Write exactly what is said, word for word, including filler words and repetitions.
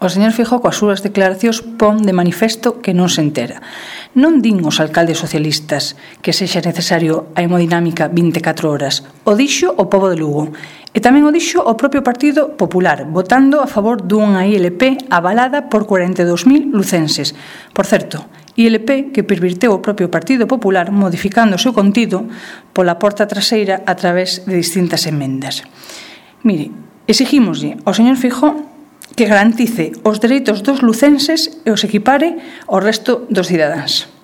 o señor Feijóo coas súas declaracións pon de manifesto que non se entera. Non din os alcaldes socialistas que sexa necesario a hemodinámica vinte e catro horas. O dixo o pobo de Lugo. E tamén o dixo o propio Partido Popular, votando a favor dunha I L P avalada por cuarenta e dous mil lucenses. Por certo, I L P que pervirteu o propio Partido Popular modificando o seu contido pola porta traseira a través de distintas emendas. Mire, exigímoslle ao señor Feijóo que garantice os dereitos dos lucenses e os equipare ao resto dos cidadáns.